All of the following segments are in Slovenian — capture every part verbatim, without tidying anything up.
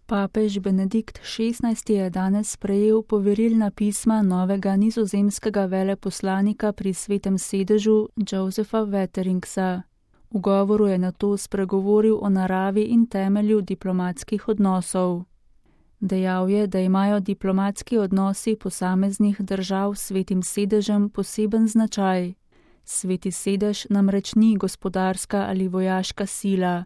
Papež Benedikt šestnajsti je danes sprejel poverilna pisma novega nizozemskega veleposlanika pri Svetem sedežu Josepha Wateringsa. V govoru je nato spregovoril o naravi in temelju diplomatskih odnosov. Dejal je, da imajo diplomatski odnosi posameznih držav s Svetim sedežem poseben značaj. Sveti sedež namreč ni gospodarska ali vojaška sila,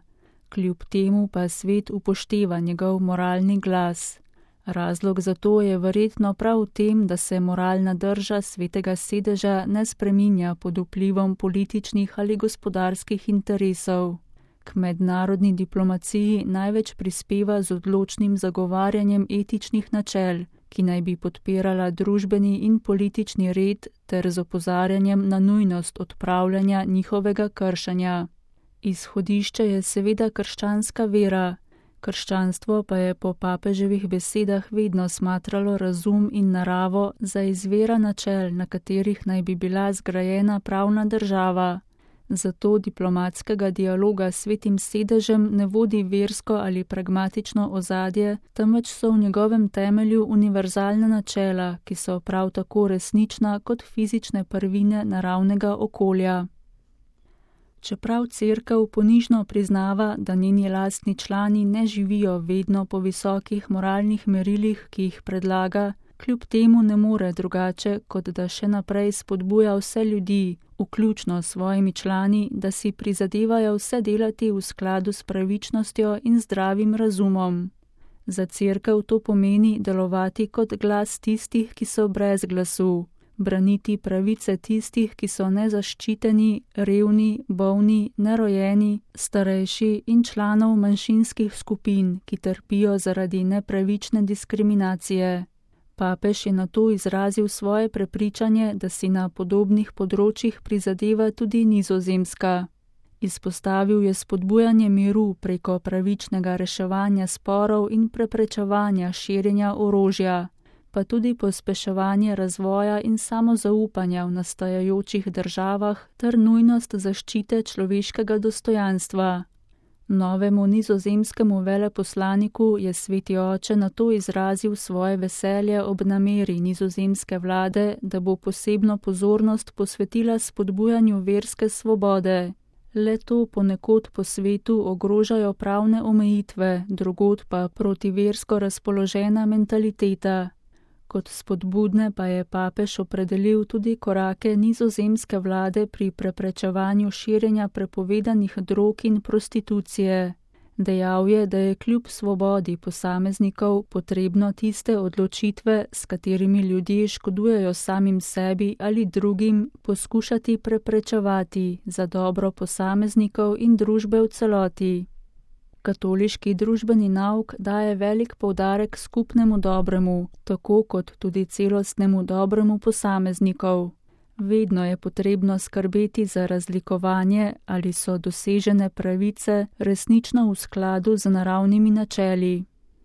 kljub temu pa svet upošteva njegov moralni glas. Razlog za to je verjetno prav v tem, da se moralna drža Svetega sedeža ne spreminja pod vplivom političnih ali gospodarskih interesov. K mednarodni diplomaciji največ prispeva z odločnim zagovarjanjem etičnih načel, ki naj bi podpirala družbeni in politični red ter z opozarjanjem na nujnost odpravljanja njihovega kršenja. Izhodišče je seveda krščanska vera. Krščanstvo pa je po papeževih besedah vedno smatralo razum in naravo za izvira načel, na katerih naj bi bila zgrajena pravna država. Zato diplomatskega dialoga s Svetim sedežem ne vodi versko ali pragmatično ozadje, temveč so v njegovem temelju univerzalna načela, ki so prav tako resnična kot fizične prvine naravnega okolja. Čeprav Cerkev ponižno priznava, da njeni lastni člani ne živijo vedno po visokih moralnih merilih, ki jih predlaga, kljub temu ne more drugače, kot da še naprej spodbuja vse ljudi, vključno s svojimi člani, da si prizadevajo vse delati v skladu s pravičnostjo in zdravim razumom. Za Cerkev to pomeni delovati kot glas tistih, ki so brez glasu, braniti pravice tistih, ki so nezaščiteni, revni, bolni, nerojeni, starejši in članov manjšinskih skupin, ki trpijo zaradi nepravične diskriminacije. Papež je nato izrazil svoje prepričanje, da si na podobnih področjih prizadeva tudi Nizozemska. Izpostavil je spodbujanje miru preko pravičnega reševanja sporov in preprečevanja širjenja orožja, pa tudi pospeševanje razvoja in samozaupanja v nastajajočih državah ter nujnost zaščite človeškega dostojanstva. Novemu nizozemskemu veleposlaniku je Sveti oče nato izrazil svoje veselje ob nameri nizozemske vlade, da bo posebno pozornost posvetila spodbujanju verske svobode. Le to ponekod po svetu ogrožajo pravne omejitve, drugod pa protiversko razpoložena mentaliteta. Kot spodbudne pa je papež opredelil tudi korake nizozemske vlade pri preprečevanju širjenja prepovedanih drog in prostitucije. Dejal je, da je kljub svobodi posameznikov potrebno tiste odločitve, s katerimi ljudje škodujejo samim sebi ali drugim, poskušati preprečevati za dobro posameznikov in družbe v celoti. Katoliški družbeni nauk daje velik poudarek skupnemu dobremu, tako kot tudi celostnemu dobremu posameznikov. Vedno je potrebno skrbeti za razlikovanje, ali so dosežene pravice resnično v skladu z naravnimi načeli.